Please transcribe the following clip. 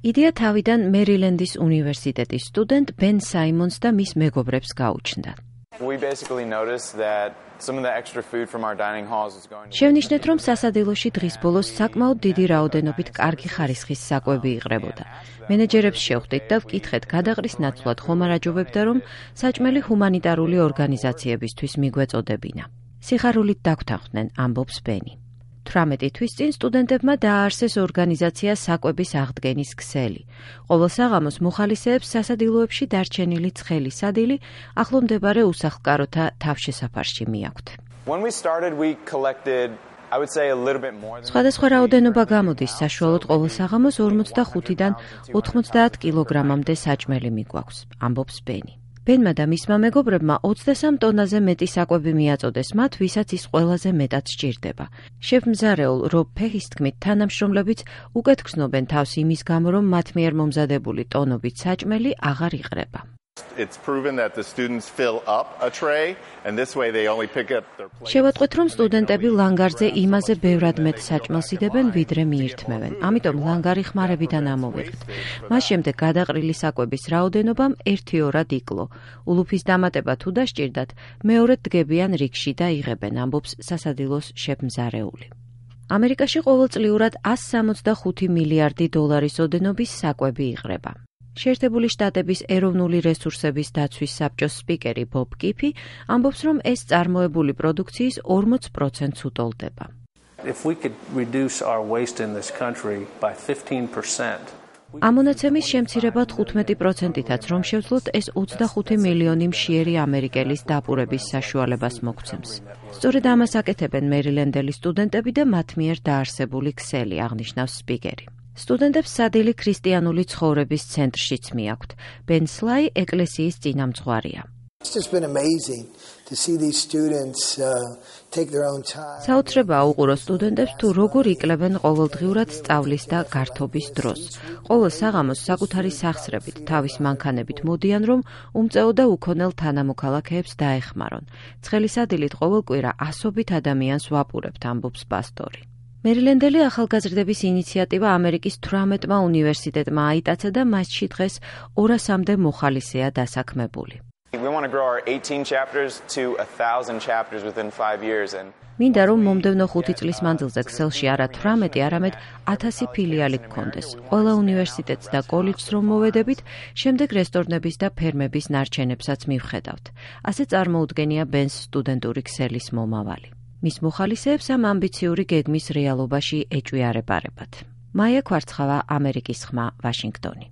იდეა თავიდან მერილენდის უნივერსიტეტის სტუდენტ ბენ საიმონს და მის მეგობრებს გაუჩნდა. შევნიშნეთ, რომ სასადილოში დღის ბოლოს საკმაოდ დიდი რაოდენობით კარგი ხარისხის საკვები იყრებოდა. მენეჯერებს შევხვდით და ვკითხეთ გადაყრის ნაცვლად ხომ არ აჯობებდა, რომ საჭმელი ჰუმანიტარული ორგანიზაციებისთვის მიგვეწოდებინა. სიხარულით დაგვთანხმდნენ, ამბობს ბენი. 18 თვის წინ სტუდენტებმა დააარსეს ორგანიზაცია საკვების აღდგენის ქსელი. ყოველ საღამოს მოხალისეებს სასადილოებში დარჩენილი ცხელი სადილი ახლომდებარე უსახლკაროთა თავშესაფარში მიაქვთ. სხვადასხვა რაოდენობა გამოდის, საშუალოდ ყოველ საღამოს 45-დან 90 კილოგრამამდე საჭმელი მიგვაქვს, ამბობს ბენი. ბენმა და მისმა მეგობრებმა 23 ტონაზე მეტი საკვები მიაწოდეს მათ, ვისაც ის ყველაზე მეტად სჭირდება. შეფ მზარეულ რობ ფეჰის თქმით, თანამშრომლებიც უკეთ გრძნობენ თავს იმის გამო, რომ მათ მიერ მომზადებული ტონობით საჭმელი აღარ იყრება. შევატყვეთ, რომ სტუდენტები ლანგარზე იმაზე ბევრად მეტ საჭმელს იდებენ, ვიდრე მიირთმევენ. ამიტომ ლანგარი ხმარებიდან ამოვიღეთ. მას შემდეგ გადაყრილი საკვების რაოდენობამ 1-2 იკლო. ულუფის დამატება თუ დასჭირდათ, მეორედ დგებიან რიგში და იღებენ, ამბობს სასადილოს შეფ მზარეული. ამერიკაში ყოველწლიურად 165 მილიარდი დოლარის ოდენობის საკვები იყრება. შეერთებული შტატების ეროვნული რესურსების დაცვის საბჭოს სპიკერი ბობ კიფი ამბობს, რომ ეს წარმოებული პროდუქციის 40%-ს უტოლდება. ამონაცემის შემცირება 15%-ითაც რომ შევძლოთ, ეს 25 მილიონი მშიერი ამერიკელის დაპურების საშუალებას მოგცემს. სწორედ ამას აკეთებენ მერილენდელი სტუდენტები და მათ მიერ დაარსებული ქსელი, აღნიშნავს სპიკერი. სტუდენტებს სადილი ქრისტიანული ცხოვრების ცენტრშიც მიაქვთ. ბენ სლაი ეკლესიის წინამძღვარია. საოცრებაა უყუროს სტუდენტებს თუ როგორ იკლებენ ყოველდღიურად სწავლის და გართობის დროს. ყოველ საღამოს საკუთარი სახსრებით, თავის მანქანებით მოდიან, რომ უმწეო და უქონელ თანამოქალაქეებს დაეხმარონ. ცხელი სადილით ყოველ კვირა ასობით ადამიანს ვაპურებთ, ამბობს პასტორი. მერილენდელი ახალგაზრდების ინიციატივა ამერიკის 18-მა უნივერსიტეტმა აიტაცა და მასში დღეს 200-მდე მოხალისეა დასაქმებული. მინდა რომ მომდევნო 5 წლის მანძილზე ქსელში არა 18, არამედ 1000 ფილიალი გქონდეს. ყველა უნივერსიტეტს და კოლეჯს რომ მოვედებით, შემდეგ რესტორნების და ფერმების ნარჩენებსაც მივხედავთ. ასე წარმოუდგენია ბენს სტუდენტური ქსელის მომავალი. მის მოხალისეებს ამ ამბიციური გეგმის რეალობაში ეჭვი არ ეპარებათ. მაია ქვარცხავა, ამერიკის ხმა, ვაშინგტონი.